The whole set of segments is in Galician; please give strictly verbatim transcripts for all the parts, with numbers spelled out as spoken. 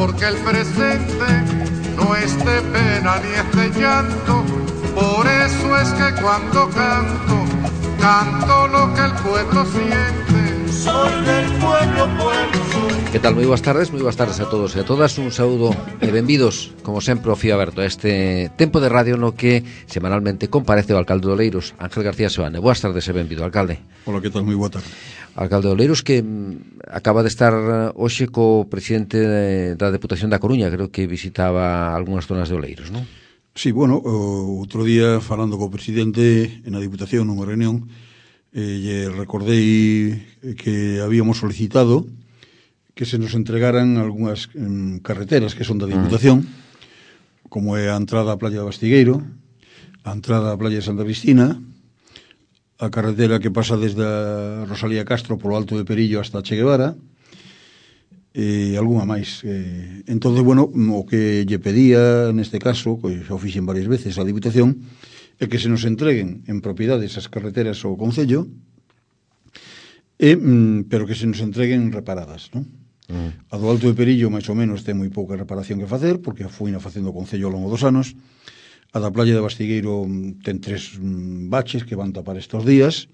porque el presente no es de pena ni es de llanto. Por eso es que cuando canto, canto lo que el pueblo siente. Soy del pueblo, pueblo soy. Que tal? Moi boas tardes, moi boas tardes a todos e a todas. Un saúdo e benvidos, como sempre, ao Fío Aberto, a este tempo de radio no que semanalmente comparece o alcalde de Oleiros, Ángel García Seoane. Boas tardes e benvido, alcalde. Hola, que tal? Moi boa tarde. Alcalde de Oleiros, que mm, acaba de estar hoxe co presidente de, da Deputación da Coruña, creo que visitaba algunhas zonas de Oleiros, non? Sí, bueno, o outro día falando co presidente en a Diputación nunha reunión, eh, lle recordei que habíamos solicitado que se nos entregaran algunhas um, carreteras que son da Diputación, mm. como é a entrada á Playa de Bastigueiro, a entrada á Playa de Santa Cristina, a carretera que pasa desde a Rosalía Castro polo Alto de Perillo hasta Che Guevara, e algunha máis. Eh, entón, bueno, o que lle pedía neste caso, que xa o fixen varias veces a Diputación, é que se nos entreguen en propiedade esas carreteras ao Concello, e, mm, pero que se nos entreguen reparadas, non? Mm. A do Alto de Perillo, máis ou menos, ten moi pouca reparación que facer, porque foi na facendo o Concello ao longo dos anos. A da Playa de Bastigueiro ten tres mm, baches que van tapar estes días,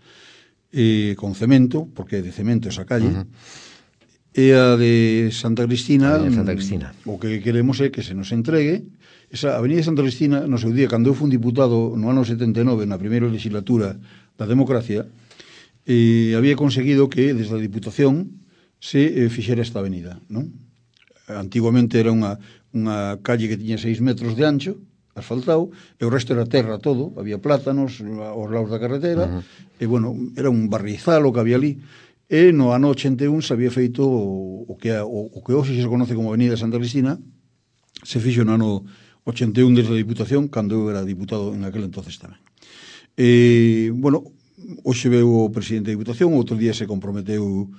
e con cemento, porque é de cemento esa calle. Uh-huh. E a de Santa Cristina, a de Santa Cristina, o que queremos é que se nos entregue esa Avenida de Santa Cristina. No seu día, cando eu fui un diputado no ano setenta e nove, na primeira legislatura da democracia, eh, había conseguido que desde a Diputación se eh, fixera esta avenida, non? Antiguamente era unha, unha calle que tiña seis metros de ancho, asfaltado, e o resto era terra todo, había plátanos aos lados da carretera, uh-huh. e, bueno, era un barrizal o que había ali. E no ano ochenta e un se había feito o, o, que, o, o que hoxe se conoce como Avenida Santa Cristina, se fixo no ano ochenta e un desde a Diputación, cando eu era diputado en aquel entonces tamén. E, bueno, hoxe veu o presidente da Diputación, outro día se comprometeu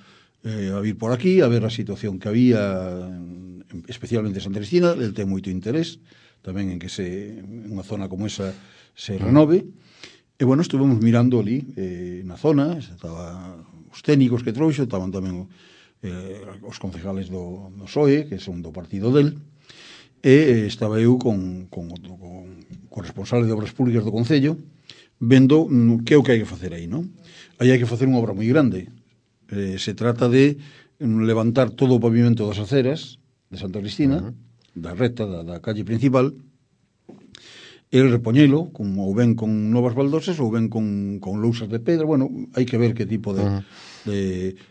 eh, a vir por aquí, a ver a situación que había, especialmente en Santa Cristina. El ten moito interés tamén en que se, en unha zona como esa se renove. E, bueno, estuvemos mirando ali eh, na zona, estaba os técnicos que trouxo, estaban tamén eh, os concejales do, do P S O E, que son do partido del, e eh, estaba eu con, con, con, con responsable de obras públicas do Concello, vendo mm, que é o que hai que facer aí, non? Aí hai que facer unha obra moi grande. Eh, se trata de mm, levantar todo o pavimento das aceras de Santa Cristina, uh-huh. da reta, da, da calle principal, e repoñelo, como ou ben con novas baldosas ou ben con, con lousas de pedra. Bueno, hai que ver que tipo de, uh-huh. de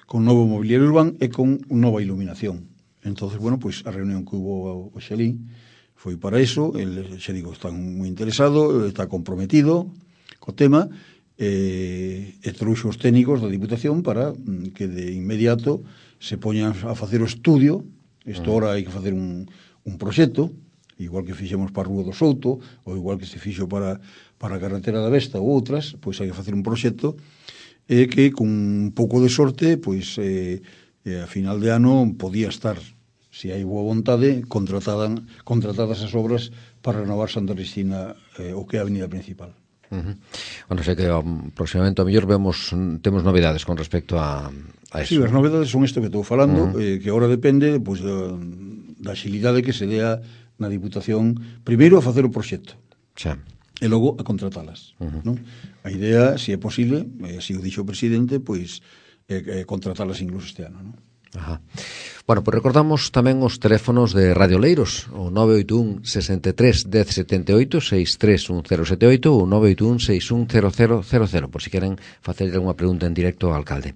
con novo mobiliario urbano e con nova iluminación. Entonces, bueno, pues a reunión que hubo o Xelín foi para eso. El xe digo, está moi interesado, está comprometido co tema, e, e trouxo os técnicos da Diputación para que de inmediato se poñan a facer o estudio. Isto uh-huh. ahora hai que facer un, un proxecto, igual que fixemos para a Rúa do Souto, ou igual que se fixo para, para a Carretera da Vesta ou outras, pois hai que facer un proxecto e que con un pouco de sorte, pois eh, eh, a final de ano podía estar, se hai boa vontade, contratadas, contratadas as obras para renovar Santa Cristina, eh, o que é a avenida principal. Uh-huh. Bueno, sei que um, próximamente a mellor vemos, temos novidades con respecto a, a eso. Sí, as novidades son isto que estou falando, uh-huh. eh, que agora depende pois, da, da xilidade que se dea na Diputación, primeiro a facer o proxecto, xa, e logo a contratalas. Uh-huh. Non? A idea, se é posible, e así o dixo o presidente, pois eh, eh, contratalas incluso este ano, non? Ajá. Bueno, pois recordamos tamén os teléfonos de Radio Oleiros, o nove oito un, sesenta e tres, dez setenta e oito, seis tres un cero sete oito ou nove oito un, seis un cero cero cero cero, por si queren facer algunha pregunta en directo ao alcalde.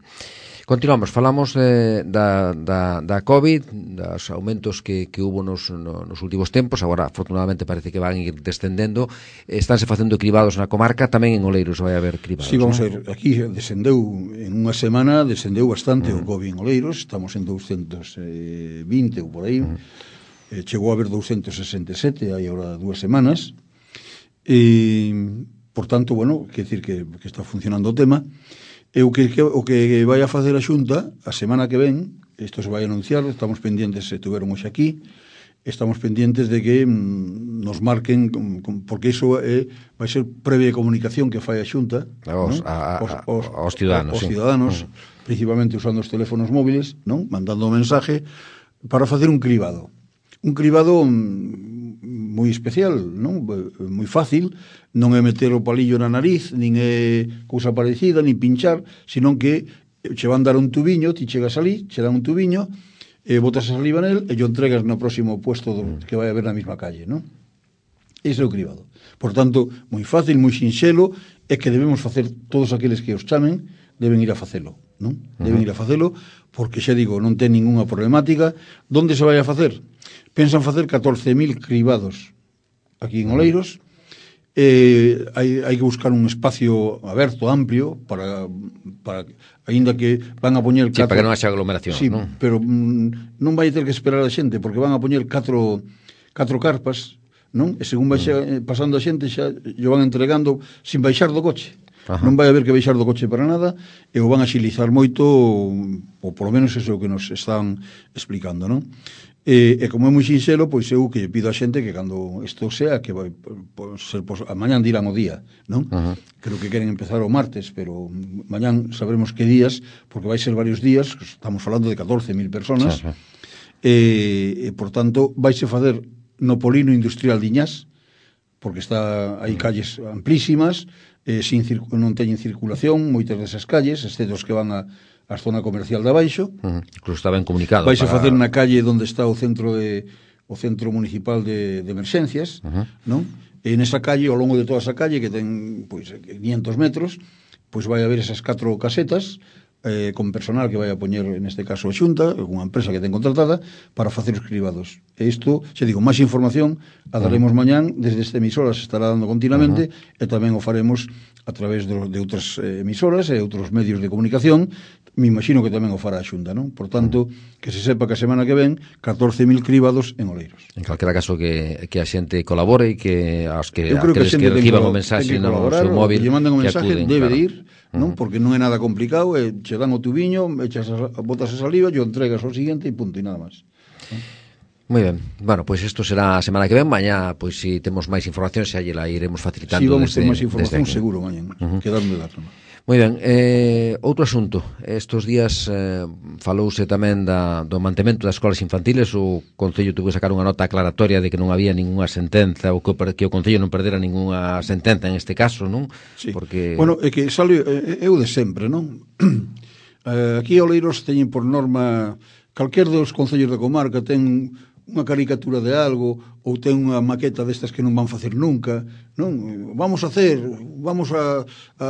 Continuamos, falamos eh, da, da, da COVID, dos aumentos que, que hubo nos, no, nos últimos tempos. Agora, afortunadamente, parece que van ir descendendo. Estánse facendo cribados na comarca, tamén en Oleiros vai haber cribados. Sí, vamos ¿no? a ver, aquí descendeu, en unha semana, descendeu bastante uh-huh. o COVID en Oleiros, estamos en doscientos vinte ou por aí, uh-huh. eh, chegou a haber doscientos sesenta e sete, hai agora dúas semanas, e, por tanto, bueno, quer decir que, que está funcionando o tema. E o que, que, o que vai a facer a Xunta a semana que ven, isto se vai anunciar, estamos pendientes, se tuveron hoxe aquí, estamos pendientes de que mm, nos marquen, porque iso é, vai ser previa comunicación que fai a Xunta aos, ¿no? a, a, aos, aos, aos ciudadanos, aos sí. ciudadanos uh-huh. principalmente usando os teléfonos móviles, non? Mandando o mensaje para facer un cribado. un cribado moi especial, non? Moi fácil, non é meter o palillo na nariz, nin é cousa parecida, nin pinchar, senón que che van dar un tubiño, ti chegas ali, che dan un tubiño, e botas a saliva nel e yo entregas no próximo puesto do, que vai haber na mesma calle, non? Ese é o cribado. Por tanto, moi fácil, moi sinxelo, é que debemos facer todos aqueles que os chamen, deben ir a facelo, non? Deben ir a facelo, porque xa digo, non ten ninguna problemática. Donde se vai a facer? Pensan facer catorce mil cribados aquí en Oleiros. Eh, hai, hai que buscar un espacio aberto, amplio, para, para aínda que van a poñer sí, para que non haxa aglomeración, sí, non? Pero mm, non vai ter que esperar a xente, porque van a poñer catro, catro carpas, non? E según vai mm. pasando a xente xa yo van entregando sin baixar do coche. Ajá. Non vai haber que baixar do coche para nada, e o van a xilizar moito, ou polo menos eso é o que nos están explicando, non? E, e como é moi sinxelo, pois eu que pido a xente que cando isto sea, que vai por ser pos, a mañán dirán o día, non? Uh-huh. Creo que queren empezar o martes, pero mañán sabremos que días, porque vai ser varios días, estamos falando de catorce mil personas, uh-huh. e, e por tanto vaise facer no polino industrial de Iñás, porque está hai calles amplísimas, eh, sin circu- non teñen circulación moitas desas calles, excepto os que van a a zona comercial de abaixo. Uh-huh. Incluso está ben comunicado. Vais para... a facer na calle onde está o centro de o centro municipal de, de emerxencias, uh-huh. non? E nesa calle, ao longo de toda esa calle, que ten pois quinientos metros, pois vai haber esas catro casetas eh, con personal que vai a poñer, neste caso a Xunta, unha empresa que ten contratada, para facer os cribados. E isto, xa digo, máis información a daremos uh-huh. mañán, desde esta emisora se estará dando continuamente, uh-huh. e tamén o faremos a través de, de outras eh, emisoras e outros medios de comunicación. Me imagino que tamén o fará a Xunta, non? Por tanto, que se sepa que a semana que ven catorce mil cribados en Oleiros. En calquera caso que, que a xente colabore e que aos que, que, aqueles que, que reciban o mensaxe no seu móvil, que lle manden o mensaje, acuden, debe claro. de ir, non? Uh-huh. Porque non é nada complicado, e che dan o tubiño, echas a, botas a saliva, yo entregas ao seguinte e punto, e nada máis. Moi ben, bueno, pois pues isto será a semana que ven. Mañá, pois pues, si temos máis información, xa lle la iremos facilitando. Si, sí, vamos desde, ter máis información seguro mañá, uh-huh. que darme dar. Moi ben, eh, outro asunto. Estos días eh, falouse tamén da, do mantemento das escolas infantiles. O Concello tuvo que sacar unha nota aclaratoria de que non había ninguna sentenza, ou que, que o Concello non perdera ninguna sentenza en este caso, non? Sí. Porque... Bueno, é que sale, é o de sempre, non? eh, aquí a Oleiros teñen por norma, calquer dos concellos da comarca ten unha caricatura de algo, ou ten unha maqueta destas que non van facer nunca, non? Vamos a hacer, vamos a, a,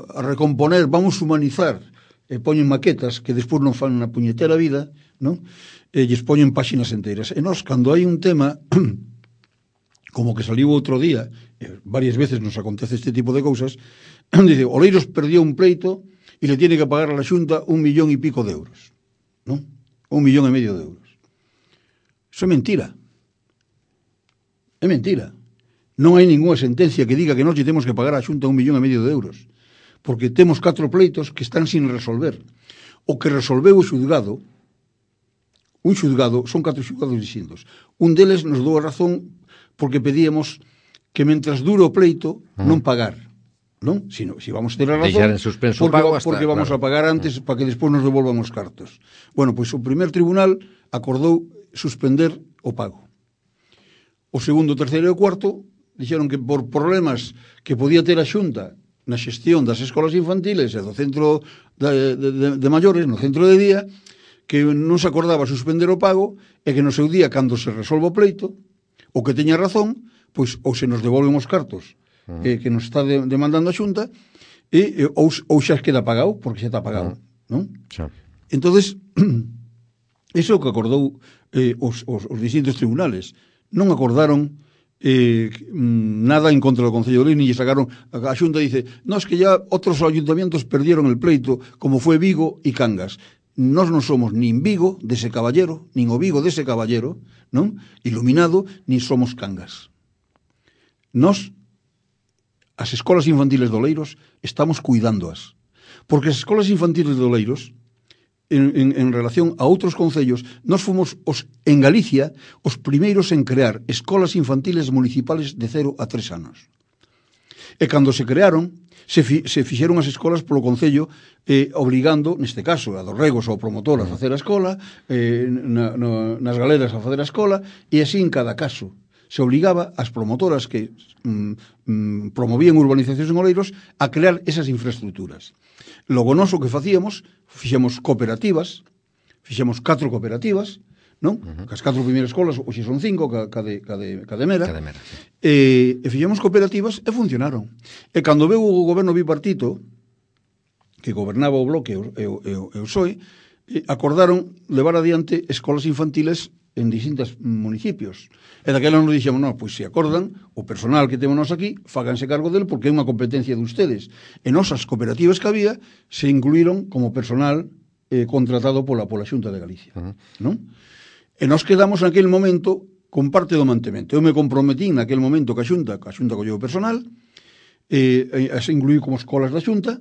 a recomponer, vamos a humanizar, e poñen maquetas que despois non fan na puñetera vida, non? E lles poñen páxinas enteiras. E nós, cando hai un tema, como que saliu outro día, e varias veces nos acontece este tipo de cousas, dice, Oleiros perdió un pleito e le tiene que pagar a la Xunta un millón e pico de euros, non? Un millón e medio de euros. Eso é mentira. É mentira. Non hai ninguna sentencia que diga que nós lle temos que pagar a Xunta un millón e medio de euros, porque temos catro pleitos que están sin resolver. O que resolveu o xudgado, un xudgado, son catro xudgados distintos. Un deles nos dou a razón porque pedíamos que mentras dure o pleito non pagar, non? Si, no, si vamos a ter a razón, deixar en suspenso porque, pago hasta, porque vamos claro. a pagar antes para que despois nos devolvan os cartos. Bueno, pois o primer tribunal acordou suspender o pago. O segundo, terceiro e o cuarto dixeron que por problemas que podía ter a Xunta na xestión das escolas infantiles e do centro de, de, de, de maiores, no centro de día, que non se acordaba suspender o pago e que no seu día, cando se resolva o pleito, o que teña razón, pois ou se nos devolven os cartos uh-huh. que, que nos está de, demandando a Xunta e, e ou, ou xa queda pagado, porque xa está pagado, uh-huh. non? Xa. Entonces, iso é o que acordou eh, os, os, os distintos tribunales. Non acordaron eh, nada en contra do Concello de Oleiros, ni lle sacaron, a Xunta dice, no, es que ya otros ayuntamientos perdieron el pleito, como fue Vigo y Cangas. Nós non somos nin Vigo dese caballero, nin o Vigo dese caballero, non? Iluminado, nin somos Cangas. Nós, as escolas infantiles de Oleiros, estamos cuidándoas. Porque as escolas infantiles de Oleiros, En, en, en relación a outros concellos, nós fomos os, en Galicia os primeiros en crear escolas infantiles municipales de cero a tres anos. E cando se crearon, se, fi, se fixeron as escolas polo Concello eh, obligando, neste caso, a dos regos ao promotor a facer a escola, eh, na, na, nas galeras a facer a escola, e así en cada caso se obligaba as promotoras que mm, mm, promovían urbanizacións en Oleiros a crear esas infraestructuras. Logo nós o que facíamos, fixemos cooperativas, fixemos catro cooperativas, non? Uh -huh. As catro primeiras escolas, hoxe son cinco, ca, ca, de, ca, de, ca de Mera, ca de Mera sí. e, e fixemos cooperativas e funcionaron. E cando veu o goberno bipartito, que gobernaba o Bloque e o, e o, e o P S O E, acordaron levar adiante escolas infantiles en distintos municipios. E daquela nos dixemos, non, pois se acordan, o personal que temos nós aquí, fáganse cargo dele porque é unha competencia de ustedes. E nosas cooperativas que había se incluíron como personal eh, contratado pola, pola Xunta de Galicia. Uh -huh. Non? E nos quedamos naquele momento con parte do mantemento. Eu me comprometí naquele momento ca Xunta, ca Xunta colleu personal, e, e se incluí como escolas da Xunta,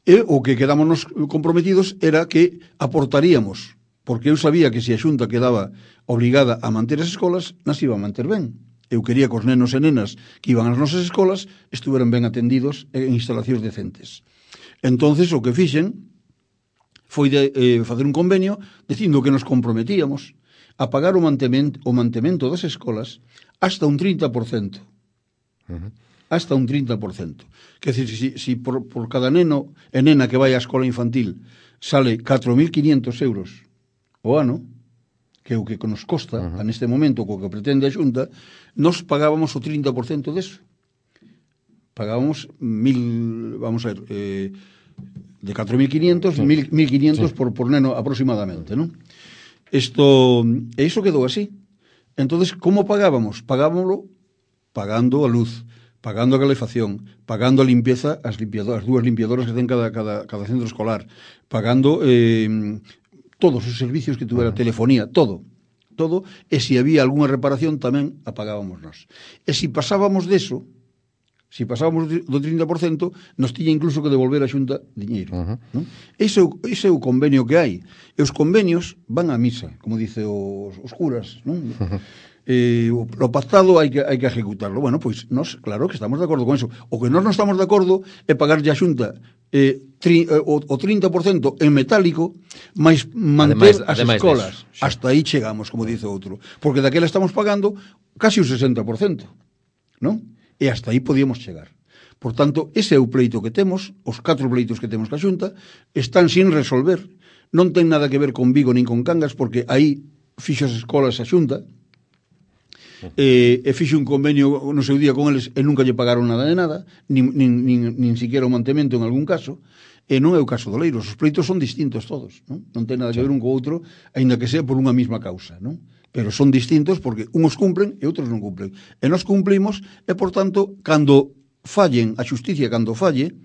e o que quedamos nos comprometidos era que aportaríamos, porque eu sabía que se a Xunta quedaba obligada a manter as escolas, nas iba a manter ben. Eu quería que os nenos e nenas que iban ás nosas escolas estuveran ben atendidos en instalacións decentes. Entonces o que fixen foi de eh, facer un convenio dicindo que nos comprometíamos a pagar o mantemento, o mantemento das escolas hasta un trinta por cento. Uh -huh. Hasta un trinta por cento. Quer dizer, si, si por, por cada neno e nena que vai á escola infantil sale catro mil quinientos euros o ano, que é o que nos costa, uh -huh. neste momento, co que pretende a Xunta, nos pagábamos o trinta por cento deso. Pagábamos mil, vamos a ver, eh, de catro mil quinientos, sí. mil quinientos sí. por, por neno aproximadamente, non? Isto, e iso quedou así. Entonces, como pagábamos? Pagábamoslo pagando a luz, pagando a calefacción, pagando a limpieza, as limpiadoras, as dúas limpiadoras que ten cada, cada, cada centro escolar, pagando eh, todos os servicios que tuvera, telefonía, todo, todo, e se había algunha reparación tamén a pagábamos nós. E se pasábamos deso, se pasábamos do trinta por cento, nos tiña incluso que devolver a Xunta diñeiro. Uh -huh. Non? Ese, ese é o convenio que hai. E os convenios van á misa, como dice os, os curas, non? Uh -huh. Eh, o, o pactado hai que, hai que ejecutarlo. Bueno, pois nós, claro que estamos de acordo con eso. O que nós non estamos de acordo é pagarlle a Xunta eh, tri, eh, o, o trinta por cento en metálico, máis manter ademais, as ademais escolas. Eso, sí. Hasta aí chegamos, como dice outro. Porque daquela estamos pagando casi o sesenta por cento, non? E hasta aí podíamos chegar. Por tanto, ese é o pleito que temos, os catro pleitos que temos ca Xunta, están sin resolver. Non ten nada que ver con Vigo nin con Cangas, porque aí fixo as escolas a Xunta, e, e fixo un convenio no seu día con eles e nunca lle pagaron nada de nada, nin, nin, nin, nin siquiera o mantemento en algún caso, e non é o caso do Oleiros. Os pleitos son distintos todos, non? Non ten nada que ver un co outro, aínda que sea por unha mesma causa, non? Pero son distintos porque uns cumplen e outros non cumplen. E nós cumplimos e, por tanto, cando fallen a xusticia, cando falle,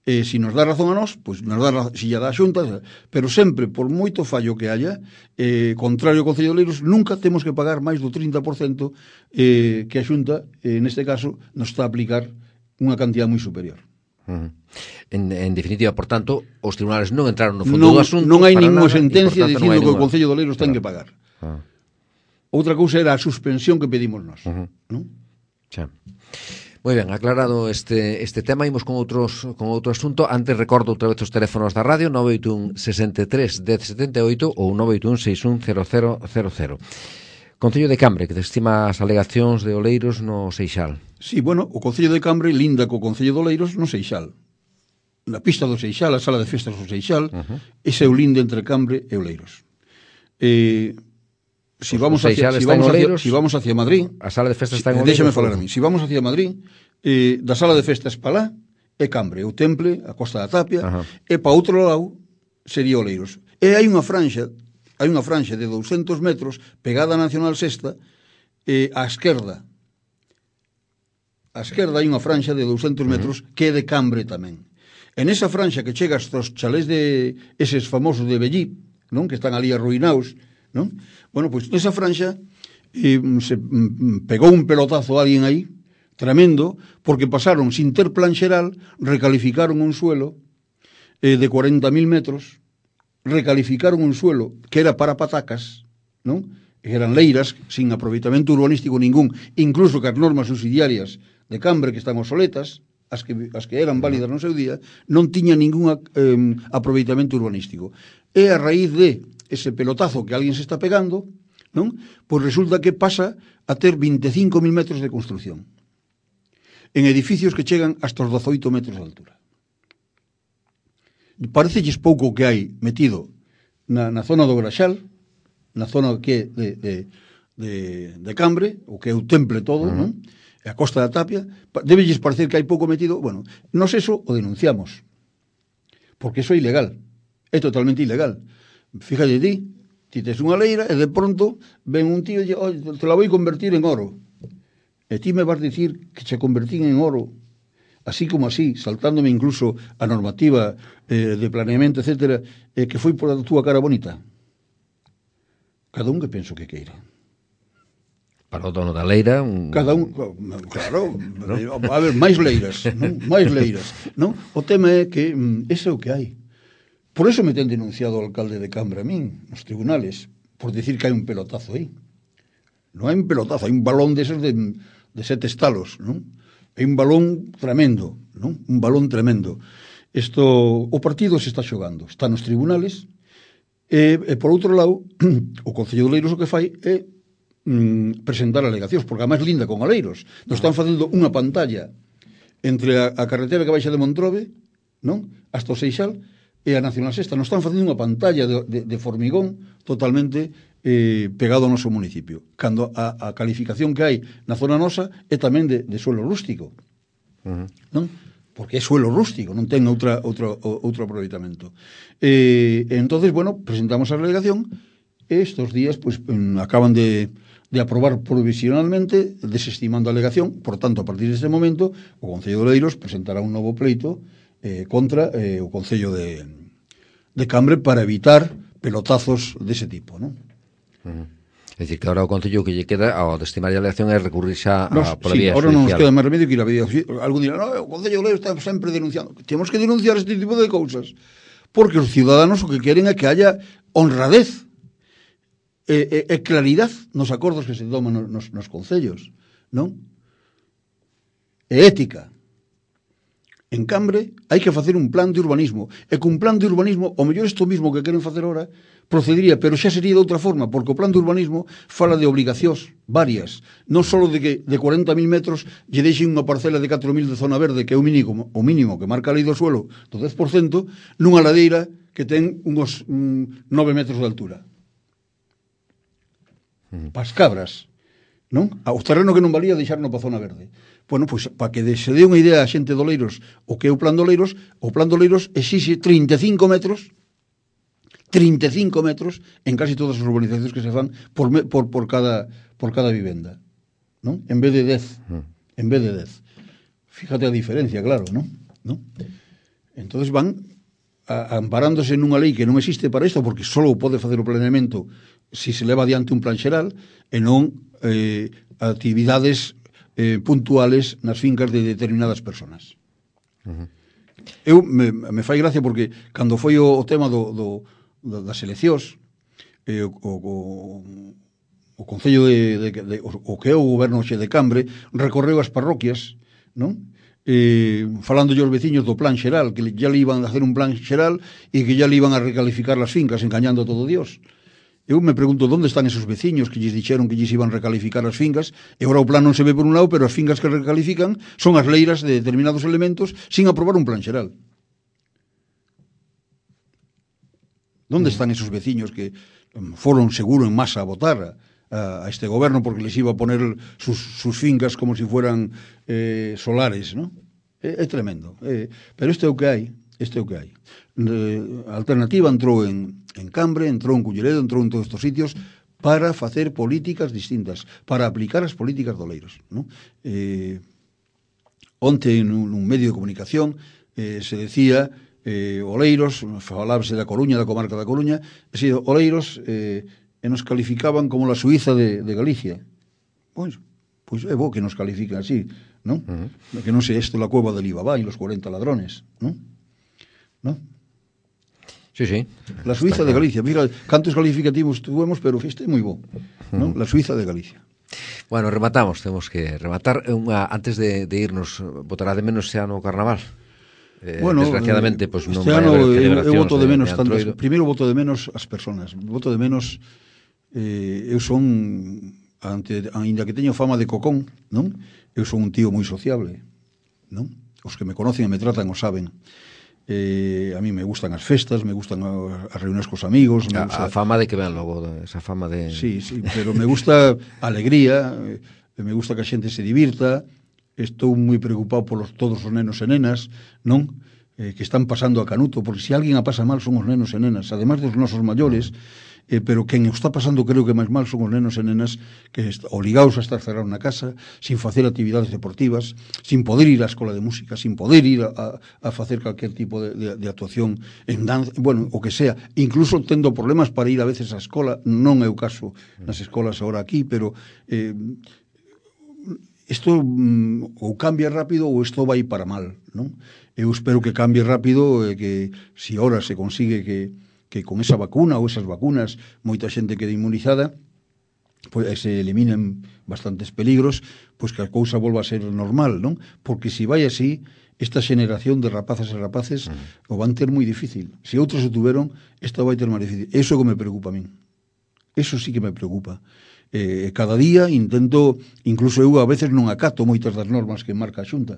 eh, si nos dá razón a nós, pois nos dá, si lla dá a Xunta, pero sempre, por moito fallo que haya, eh, contrario ao Concello de Oleiros, nunca temos que pagar máis do trinta por cento eh, que a Xunta, eh, neste caso, nos está a aplicar unha cantidad moi superior. Uh -huh. en, en definitiva, por tanto, os tribunales non entraron no fondo non, do asunto. Non hai ninguna sentencia dicindo que o Concello de Oleiros ten que pagar. Ah. Outra cousa era a suspensión que pedimos nós. Uh -huh. ¿No? Xa. Moi ben, aclarado este, este tema, imos con outros con outro asunto. Antes recordo outra vez os teléfonos da radio, nove oito un sesenta e tres dez setenta e oito ou nove oito un seis un cero cero cero cero. Concello de Cambre, que desestima as alegacións de Oleiros no Seixal. Sí, bueno, o Concello de Cambre linda co Concello de Oleiros no Seixal. Na pista do Seixal, a sala de festas do Seixal, uh -huh. ese é o linde entre Cambre e Oleiros. Eh... Si vamos, hacia, si, vamos hacia, si vamos hacia Madrid, a sala de festas está en Oleiros. Déxame falar a mí. Si vamos hacia Madrid, eh, da sala de festas para lá é Cambre, o Temple, a Costa da Tapia, uh -huh. e para outro lado sería Oleiros. E hai unha franxa, hai unha franxa de douscentos metros pegada a Nacional Sexta eh, á esquerda. Á esquerda hai unha franxa de douscentos metros uh -huh. que é de Cambre tamén. En esa franxa que chega hasta os chalés de eses famosos de Bellí, non, que están ali arruinados, non? Bueno, pois nesa franxa eh, se mm, pegou un pelotazo a alguén aí, tremendo, porque pasaron sin ter plan xeral, recalificaron un suelo eh, de cuarenta mil metros, recalificaron un suelo que era para patacas, non? Eran leiras sin aproveitamento urbanístico ningún, incluso que as normas subsidiarias de Cambre que están obsoletas, as que, as que eran válidas no seu día, non tiña ningún eh, aproveitamento urbanístico. E a raíz de ese pelotazo que alguén se está pegando, non? Pois resulta que pasa a ter vinte e cinco mil metros de construcción en edificios que chegan hasta os dezoito metros de altura. Parecelles pouco que hai metido na, na zona do Graxal, na zona que é de, de, de, de Cambre, o que é o temple todo, uh-huh. non? A Costa da Tapia, debelles parecer que hai pouco metido. Bueno, nos eso o denunciamos, porque eso é ilegal, é totalmente ilegal. Fíjate ti, ti tes unha leira e de pronto ven un tío e oh, te la vou convertir en oro, e ti me vas dicir que se convertín en oro así como así, saltándome incluso a normativa eh, de planeamento, etcétera, eh, que foi por a túa cara bonita. Cada un que penso que queira. Para o dono da leira un... Cada un, claro, ¿no? A ver, máis leiras, non? máis leiras, non? O tema é que mm, ese é o que hai. Por eso me ten denunciado o alcalde de Cambre a min, nos tribunales, por decir que hai un pelotazo aí. Non hai un pelotazo, hai un balón deses de, de sete estalos, non? Hai un balón tremendo, non? Un balón tremendo. Isto, o partido se está xogando, está nos tribunales, e, e por outro lado, o Concello de Oleiros o que fai é presentar alegacións, porque a máis linda con Oleiros. Nos están facendo unha pantalla entre a, a carretera que baixa de Montrobe, non? Hasta o Seixal, e a Nacional Sexta. Nos están facendo unha pantalla de, de, de formigón totalmente eh, pegado ao noso municipio. Cando a, a calificación que hai na zona nosa é tamén de, de suelo rústico. Uh-huh. Non? Porque é suelo rústico, non ten outra, outra, outro aproveitamento. E, e entonces, bueno, presentamos a alegación e estes días, pues, acaban de de aprobar provisionalmente, desestimando a alegación. Por tanto, a partir deste momento, o Concello de Oleiros presentará un novo pleito eh, contra eh, o Concello de, de Cambre para evitar pelotazos dese tipo, non? Uh-huh. É dicir, que agora o Concello que lle queda ao desestimar a alegación é recurrir xa a pola sí, vía ahora judicial. Non nos queda máis remedio que ir a vía judicial. Algún dirá, no, o Concello de Oleiros está sempre denunciando. Temos que denunciar este tipo de cousas, porque os ciudadanos o que queren é que haya honradez e, e, e claridade nos acordos que se toman nos, nos concellos, non? E ética. En Cambre hai que facer un plan de urbanismo, e cun plan de urbanismo, o mellor isto mismo que queren facer ahora procedería, pero xa sería de outra forma, porque o plan de urbanismo fala de obligacións varias, non só de que de cuarenta mil metros lle deixen unha parcela de catro mil de zona verde, que é o mínimo, o mínimo que marca a lei do suelo do dez por cento, nunha ladeira que ten uns mm, nove metros de altura. Pas cabras, non? O terreno que non valía deixarno para zona verde. Bueno, pois, para que se dé unha idea a xente de Oleiros o que é o plan de Oleiros, o plan de Oleiros exixe trinta e cinco metros trinta e cinco metros en casi todas as urbanizacións que se fan por, por, por, cada, por cada vivenda, non? En vez de dez, en vez de dez. Fíjate a diferencia, claro, non? ¿No? Entonces van a, amparándose nunha lei que non existe para isto, porque só pode facer o planeamento si se leva adiante un plan xeral e non eh, actividades eh, puntuales nas fincas de determinadas personas. Uh-huh. Eu me, me fai gracia porque cando foi o, o tema do, do, do, das eleccións, eh, o, o, o Concello de, de, de o, o que é o goberno xe de Cambre recorreu as parroquias, non? Eh, falando aos veciños do plan xeral, que ya le iban a hacer un plan xeral e que ya le iban a recalificar las fincas, engañando a todo Dios. Eu me pregunto onde están esos veciños que lles dixeron que lles iban a recalificar as fincas, e agora o plan non se ve por un lado, pero as fincas que recalifican son as leiras de determinados elementos sin aprobar un plan xeral. Onde están esos veciños que foron seguro en masa a votar a, a este goberno porque les iba a poner sus, sus fincas como si fueran eh, solares, ¿no? É, é tremendo. É, pero isto é o que hai, isto é o que hai. A alternativa entrou en, en Cambre, entrou en Culleredo, entrou en todos estes sitios para facer políticas distintas, para aplicar as políticas de Oleiros, ¿no? Eh, onte nun, nun medio de comunicación eh, se decía eh, Oleiros, falábase da Coruña, da comarca da Coruña, e se Oleiros eh, e nos calificaban como la Suiza de, de Galicia. Pois, pois é bo que nos califican así, non? Uh-huh. Que non sei isto la cueva del Ibabá e los cuarenta ladrones, non? ¿No? Sí, sí. La Suiza de Galicia. Mira, cantos calificativos tuvemos, pero este é moi bo, ¿no? La Suiza de Galicia. Bueno, rematamos, temos que rematar. Unha, antes de, de irnos, botará de menos xa no carnaval? Eh, bueno, desgraciadamente, pues, non este vai ano haber eu, eu celebracións voto de menos de tantas, Antroido. primeiro voto de menos as persoas, voto de menos eh, eu son ante, ainda que teño fama de cocón, non? Eu son un tío moi sociable, non? Os que me conocen e me tratan o saben. Eh, a mí me gustan as festas, me gustan as reuniones cos amigos, me A, gusta... a fama de que ven logo, esa fama de... Sí, sí, pero me gusta a alegría, eh, me gusta que a xente se divirta. Estou moi preocupado polos todos os nenos e nenas, non? Eh, que están pasando a canuto, porque se alguén a pasa mal son os nenos e nenas, además dos nosos maiores, eh, pero quen o está pasando creo que máis mal son os nenos e nenas que est- obligados a estar cerrados na casa, sin facer actividades deportivas, sin poder ir á escola de música, sin poder ir a, a, a facer calquer tipo de, de, de actuación en danza, bueno, o que sea, incluso tendo problemas para ir a veces á escola, non é o caso nas escolas agora aquí, pero eh, isto mm, ou cambia rápido ou isto vai para mal, non? Eu espero que cambie rápido e que se ahora se consigue que, que con esa vacuna ou esas vacunas moita xente quede inmunizada, pois se eliminen bastantes peligros, pois que a cousa volva a ser normal, non? Porque se vai así, esta xeneración de rapazas e rapaces mm. o van ter moi difícil. Se outros o tuveron, esta vai ter máis difícil. Eso que me preocupa a min. Eso sí que me preocupa. Eh, cada día intento, incluso eu a veces non acato moitas das normas que marca a Xunta.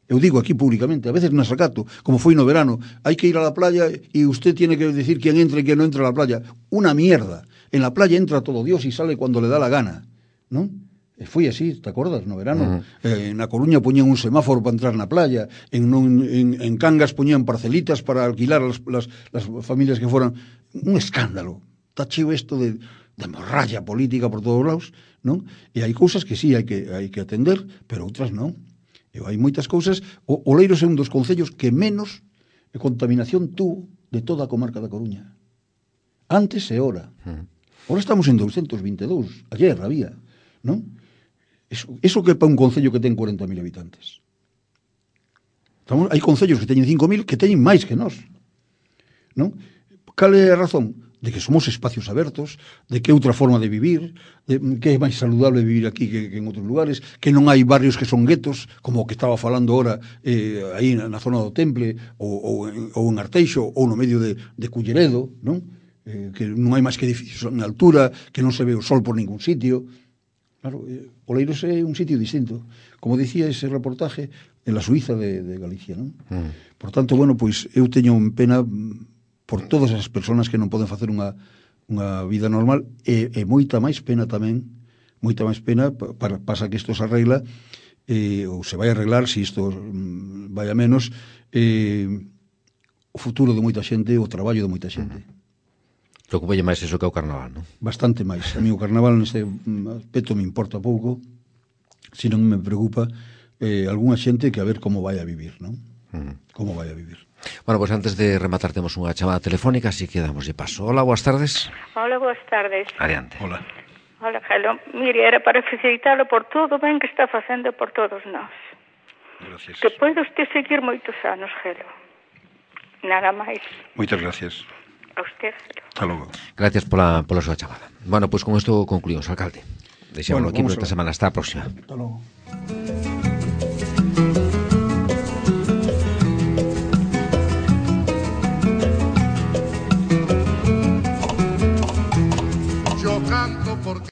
Eu digo aquí públicamente, a veces nas acato, como foi no verano, hai que ir a la playa e usted tiene que decir quién entra e quién non entra a la playa. Una mierda. En la playa entra todo Dios y sale cuando le da la gana, ¿no? E foi así, te acordas, no verano? Uh-huh. Eh, na Coruña poñían un semáforo para entrar na playa, en, non, en, en Cangas poñían parcelitas para alquilar a las, las, las familias que foran. Un escándalo. Está cheo isto de, de morralla política por todos lados, non? E hai cousas que sí hai que, hai que atender, pero outras non. E hai moitas cousas. O Oleiros é un dos concellos que menos contaminación tuvo de toda a comarca da Coruña. Antes e ora. Uh-huh. Ora estamos en doscientos vinte e dous. Ayer había, non? Eso, eso que para un concello que ten cuarenta mil habitantes. Estamos, hai concellos que teñen cinco mil que teñen máis que nós. Non? Cal é a razón? De que somos espacios abertos, de que é outra forma de vivir, de que é máis saludable vivir aquí que, que en outros lugares, que non hai barrios que son guetos, como o que estaba falando ahora eh, aí na, na zona do Temple, ou, ou, en, ou en Arteixo, ou no medio de, de Culleredo, non? Eh, que non hai máis que edificios en altura, que non se ve o sol por ningún sitio. Claro, eh, Oleiros é un sitio distinto. Como dicía ese reportaje, en la Suiza de, de Galicia, non? Mm. Por tanto, bueno, pois eu teño pena por todas as persoas que non poden facer unha, unha vida normal e, e moita máis pena tamén, moita máis pena, para, pasa que isto se arregla, eh, ou se vai arreglar, se isto mm, vai a menos, eh, o futuro de moita xente, o traballo de moita xente. Preocupalle máis iso que o carnaval, non? Bastante máis. A mí o carnaval neste aspecto me importa pouco, se non me preocupa eh, algunha xente que a ver como vai a vivir, non? Uh-huh. Como vai a vivir. Bueno, pois pues antes de rematar temos unha chamada telefónica, así que damos de paso. Hola, boas tardes. Hola, boas tardes. Adiante. Hola. Hola, Gelo. Mire, era para felicitarlo por todo ben que está facendo por todos nós. Gracias. Que poida usted seguir moitos anos, Gelo. Nada máis. Moitas gracias. A usted, Gelo. Hasta logo. Gracias pola, pola súa chamada. Bueno, pois pues con isto concluímos, alcalde. Deixámoslo bueno, aquí por esta semana. Hasta a próxima. Hasta logo.